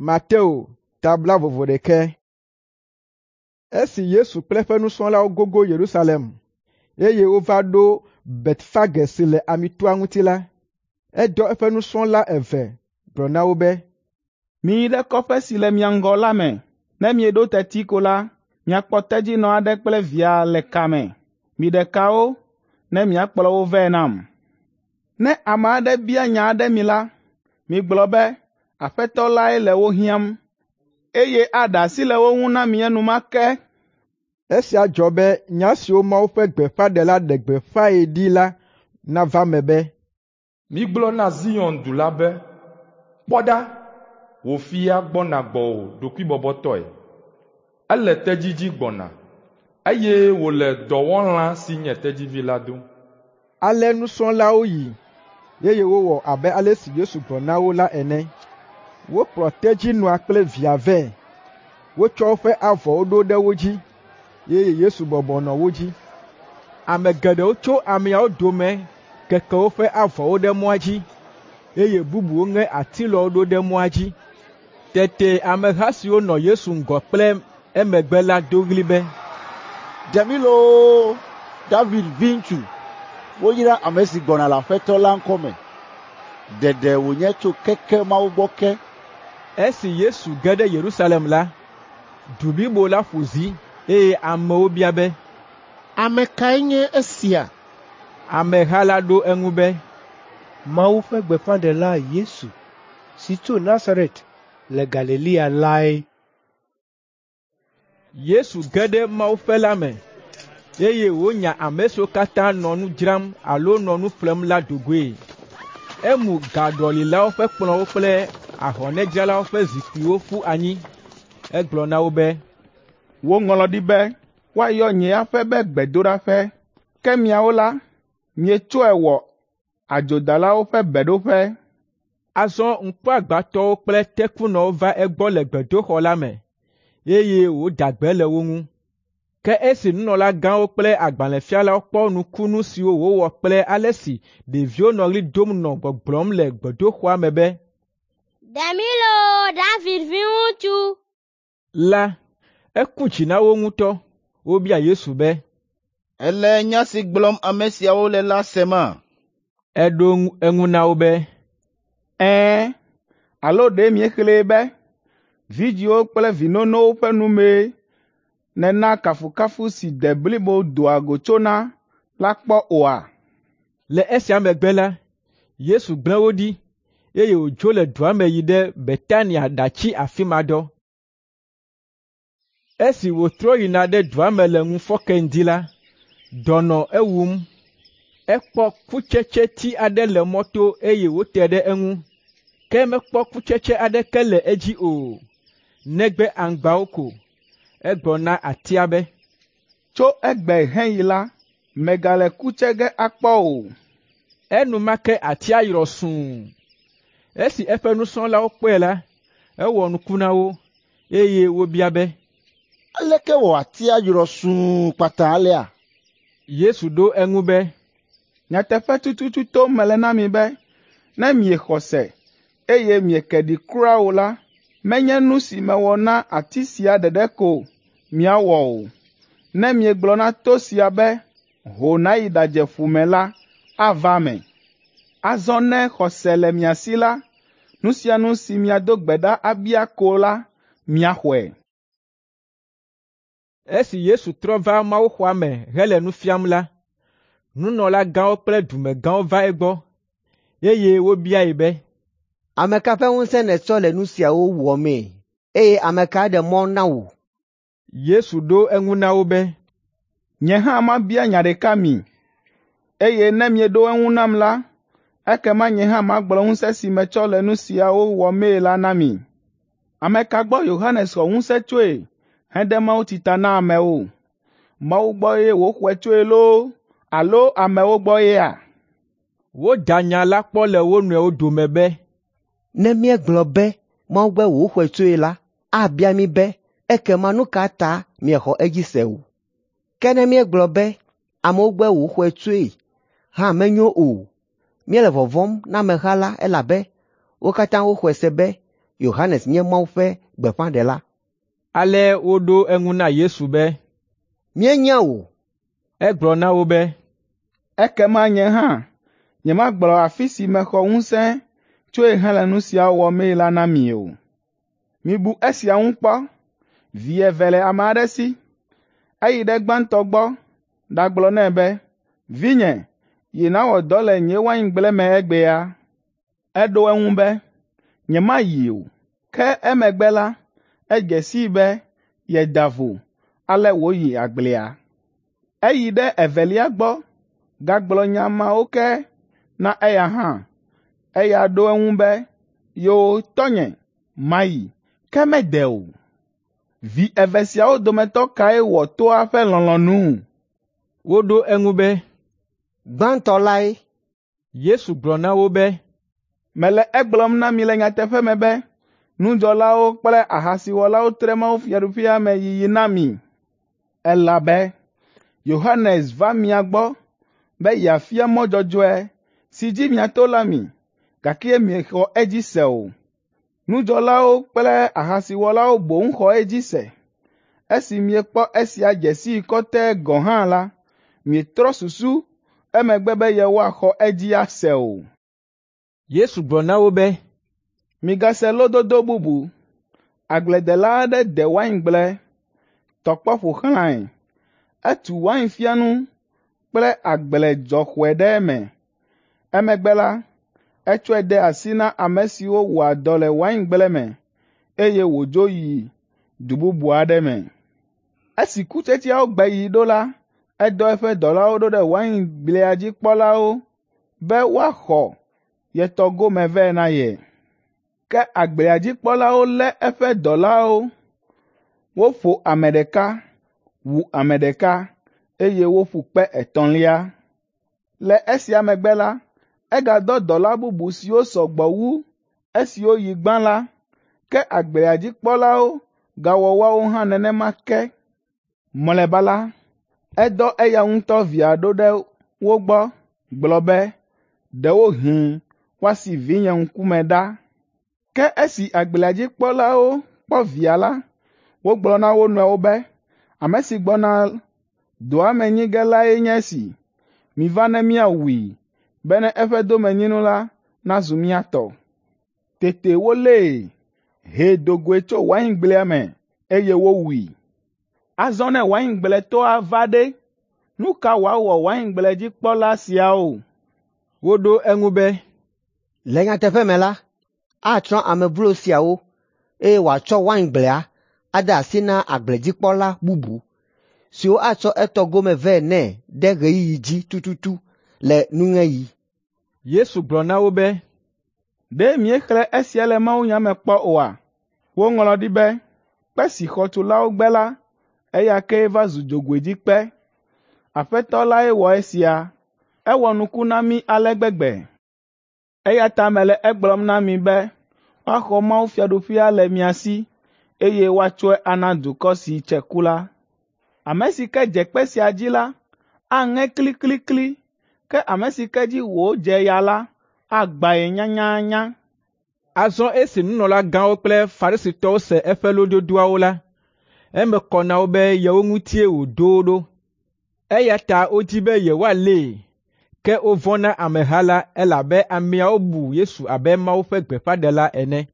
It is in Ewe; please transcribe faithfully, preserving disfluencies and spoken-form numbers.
Mateo ta blaeve-vɔ-ɖekɛ. Esi Yesu kple eƒe nusrɔ̃lawo gogo Yerusalem, eye wova ɖo Betfage si le Amitoa ŋuti la, edɔ eƒe nusrɔ̃la eve gblɔ na wo be, “Miyi ɖe kɔƒe si le mia ŋgɔ la me. Ne mieɖo teti ko la, miakpɔ tedzinɔ aɖe kple via le ka me. Miɖe ka wo, ne miakplɔ wo vɛ nam. Ne ame aɖe bia nya aɖe mi la, migblɔ be, ‘Aƒetɔ lae le wo hiãm,’ eye aɖe asi le wo ŋu na mi enumake.” Esia dzɔ be nya siwo Mawu ƒe gbeƒãɖela ɖe gbeƒãe ɖi la nava eme be, “Migblɔ na Zion du la be, ‘Kpɔ ɖa, wò fia gbɔna gbɔwò ɖokuibɔbɔtɔe. Ele tedzi dzi gbɔna, eye wòle dɔwɔlã si nye tedzivi la dom.’ ” Ale nusrɔ̃lawo yi, eye wowɔ abe ale si Yesu gblɔ na wo la ene. Wokplɔ tedzinɔa kple via vɛ. Wotsɔ woƒe avɔwo ɖo ɖe wo dzi, eye Yesu bɔbɔ nɔ wo dzi. Ame geɖewo tso ameawo dome keke woƒe avɔwo ɖe mɔa dzi, eye bubuwo ŋe atilɔwo ɖo ɖe mɔa dzi. Tete ameha siwo nɔ Yesu ŋgɔ kple emegbe la do ɣli be, “Ɖe mí loo, David viŋutsu! Woyra ame si gbɔna le Aƒetɔ la ŋkɔme. Ɖeɖe wònye tso keke Mawu gbɔ ke.” Esi Yesu ge ɖe Yerusalem la, du blibo la ƒo zi, eye amewo bia be, “Ame kae nye esia?” Ameha la ɖo eŋu be, “Mawu ƒe gbeƒãɖela Yesu si tso Nazaret le Galilea lae.” Yesu ge ɖe mawuƒe la me, eye wònya ame siwo katã nɔ nu dzram alo nɔ nu ƒlem la do goe. Emu gaɖɔlilawo ƒe kplɔ̃wo kple ahɔnɛdzralawo ƒe zikpuiwo ƒu anyi. Egblɔ na wo be, “Woŋlɔ ɖi be, ‘Woayɔ nye aƒe be gbedoɖaƒe,’ ke miawo la, mietsɔe wɔ adzodalawo ƒe beɖoƒe.” Azɔ ŋkuagbãtɔwo kple tekunɔwo va egbɔ le gbedoxɔ la me, eye wòda gbe le wo ŋu. Ke esi nunɔlagãwo kple agbalẽfialawo kpɔ nukunu siwo wòwɔ kple ale si ɖeviwo nɔ ɣli dom nɔ gbɔgblɔm le gbedoxɔa me be, “Ɖe mí loo, David viŋutsu!” la, eku dzi na wo ŋutɔ. Wobia Yesu be, “Èle nya si gblɔm ame siawo le la sema?” Eɖo eŋu na wo be, “Ɛ̃, alo ɖe miexlẽe be, ‘Vidzĩwo kple vi nonowo ƒe nu mee nèna kafukafu si de blibo doa go tsona’ la kpɔ oa?” Le esia megbe la, Yesu gblẽ wo ɖi, eye wòdzo le dua me yi ɖe Betania ɖatsi afi ma dɔ. Esi wòtrɔ yina ɖe dua me le ŋufɔke ŋdi la, dɔ nɔ ewum. Ekpɔ kutsetseti aɖe le mɔto eye wòte ɖe eŋu, ke mekpɔ kutsetse aɖeke le edzi o, negbe aŋgbawo ko. Egblɔ na atia be, “Tso egbe heyi la, mègale ku tse ge akpɔ o.” Enumake atia yrɔ sũu. Esi eƒe nusrɔ̃lawo kpɔe la, ewɔ nuku na wo, eye wobia be, “Aleke wɔ atia yrɔ sũu kpata alea?” Yesu ɖo eŋu be, “Nyateƒe tututu tom mele na mi be, ne miexɔ se, eye mieke ɖi kura o la, menye nu si mewɔ na ati sia ɖeɖe ko miawɔ o. Ne miegblɔ na to sia be, ‘Ho nàyi ɖadze ƒu me’ la, ava eme. Azɔ ne xɔse le mia si la, nu sia nu si miado gbe ɖa abia ko la, miaxɔe.” Esi Yesu trɔ va mawuxɔa me hele nu fiam la, nunɔlagãwo kple dumegãwo va egbɔ, eye wobiae be, “Ame ka ƒe ŋusẽ nètsɔ le nu siawo wɔmee, eye ame kae ɖe mɔ na wò?” Yesu ɖo eŋu na wo be, “Nye hã mabia nya ɖeka mi, eye ne mieɖo eŋu nam la, ekema nye hã magblɔ ŋusẽ si metsɔ le nu siawo wɔmee la na mi. Ame ka gbɔ Yohanes xɔ ŋusẽ tsoe hede mawutsi ta na amewo? Mawu gbɔ ye wòxɔe tsoe loo alo amewo gbɔ yea?” Woda nya la kpɔ le wo nɔewo dome be, “Ne míegblɔ be Mawu gbɔe wòxɔe tsoe la, abia mí be, ‘Ekema nu ka ta miexɔ edzi se o?’ Ke ne míegblɔ be amewo gbɔe wòxɔe tsoe hã menyo o. Míele vɔvɔ̃m na ameha la elabe wo katã woxɔe se be Yohanes nye Mawu ƒe gbeƒãɖela. Ale woɖo eŋu na Yesu be, Míenya o. Egblɔ na wo be, Ekema nye hã nyemagblɔ afi si mexɔ ŋusẽ tsoe hele nu siawo wɔmee la na mi o. Mibu esia ŋu kpɔ. Vi eve le ame aɖe si. Eyi ɖe gbãtɔ gbɔ ɖagblɔ nɛ be, ‘Vinye, yi nàwɔ dɔ le nye waingble me egbea.’ Eɖo eŋu be, ‘Nyemayi o.’ Ke emegbe la, edze sii be yeda vo, ale wòyi agblea. Eyi ɖe evelia gbɔ gagblɔ nya mawo ke na eya hã. Eya ɖo eŋu be, ‘Yoo, tɔnye, mayi,’ ke mede o. Vi eve siawo dometɔ kae wɔ toa ƒe lɔlɔ̃nu?” Woɖo eŋu be, Gbãtɔ lae. Yesu gblɔ na wo be, Mele egblɔm na mi le nyateƒe me be, nudzɔlawo kple ahasiwɔlawo tre mawufiaɖuƒea me yiyi na mi. Elabe Yohanes va mia gbɔ be yeafia mɔ dzɔdzɔe si dzi miato la mi, gake miexɔ edzi se o. Nudzɔlawo kple ahasiwɔlawo boŋ xɔ edzi se. Esi miekpɔ esia dze sii kɔtɛe gɔ̃ hã la, mietrɔ susu emegbe be yewoaxɔ edzi ase o. Yesu gblɔ na wo be, Migase lododo bubu. Agbledela aɖe de waingble, tɔ kpɔ ƒo xlãe. Etu wainfiãnu kple agbledzɔxɔe ɖe eme. Emegbe la, etsɔe de asi na ame siwo wɔa dɔ le waingble me, eye wòdzo yi du bubu aɖe me. Esi kutsetseawo gbeɣi ɖo la, edɔ eƒe dɔlawo ɖo ɖe waingblea dzi kpɔlawo be woaxɔ ye tɔ gome vɛ na ye. Ke agblea dzi kpɔlawo lé eƒe dɔlawo. Woƒo ame ɖeka, wu ame ɖeka, eye woƒu kpe etɔ̃lia. Le esia megbe la, egadɔ dɔla bubu siwo sɔ gbɔ wu esiwo yi gbã la, ke agblea dzi kpɔlawo gawɔ woawo hã nenema ke. Mlɔeba la, edɔ eya ŋutɔ via ɖo ɖe wo gbɔ gblɔ be, ‘Ɖewohĩ woasi vinye ŋkume ɖa.’ Ke esi agblea dzi kpɔlawo kpɔ via la, wogblɔ na wo nɔewo be, ‘Ame si gbɔna doa me nyi ge lae nye esi. Miva ne míawui, bene eƒe domenyinu la nazu mía tɔ.’ Tete wolée, hee do goe tso waingblea me, eye wowui. Azɔ ne waingbletɔa va ɖe, nu ka wòawɔ waingbledzikpɔla siawo?” Woɖo eŋu be, Le nyateƒe me la, atsrɔ̃ ame vlo siawo, eye wòatsɔ waingblea ade asi na agbledzikpɔla bubu, siwo atsɔ etɔ gome vɛ nɛ ɖe ɣeyiɣi dzi tututu le nuŋeɣi. Yesu gblɔ na wo be, Ɖe miexlẽ esia le mawunya me kpɔ oa? Woŋlɔ ɖi be, ‘Kpe si xɔtulawo gbe la, eya kee va zu dzogoedzikpe. Aƒetɔ lae wɔ esia. Ewɔ nuku na mí ale gbegbe.’ Eya ta mele egblɔm na mi be woaxɔ mawufiaɖuƒea le mia si, eye woatsɔe ana dukɔ si tse ku la. Ame si ke dze kpe sia dzi la, aŋe kliklikli, ke ame si ke dzi wòdze ya la, agbãe nyanyanya.” Azɔ esi nunɔlagãwo kple Farisitɔwo se eƒe lododoawo la, eme kɔ na wo be yewo ŋutie wòɖo wo ɖo. Eya ta wodi be yewoalée, ke wovɔ̃ na ameha la elabe ameawo bu Yesu abe Mawu ƒe gbeƒãɖela ene.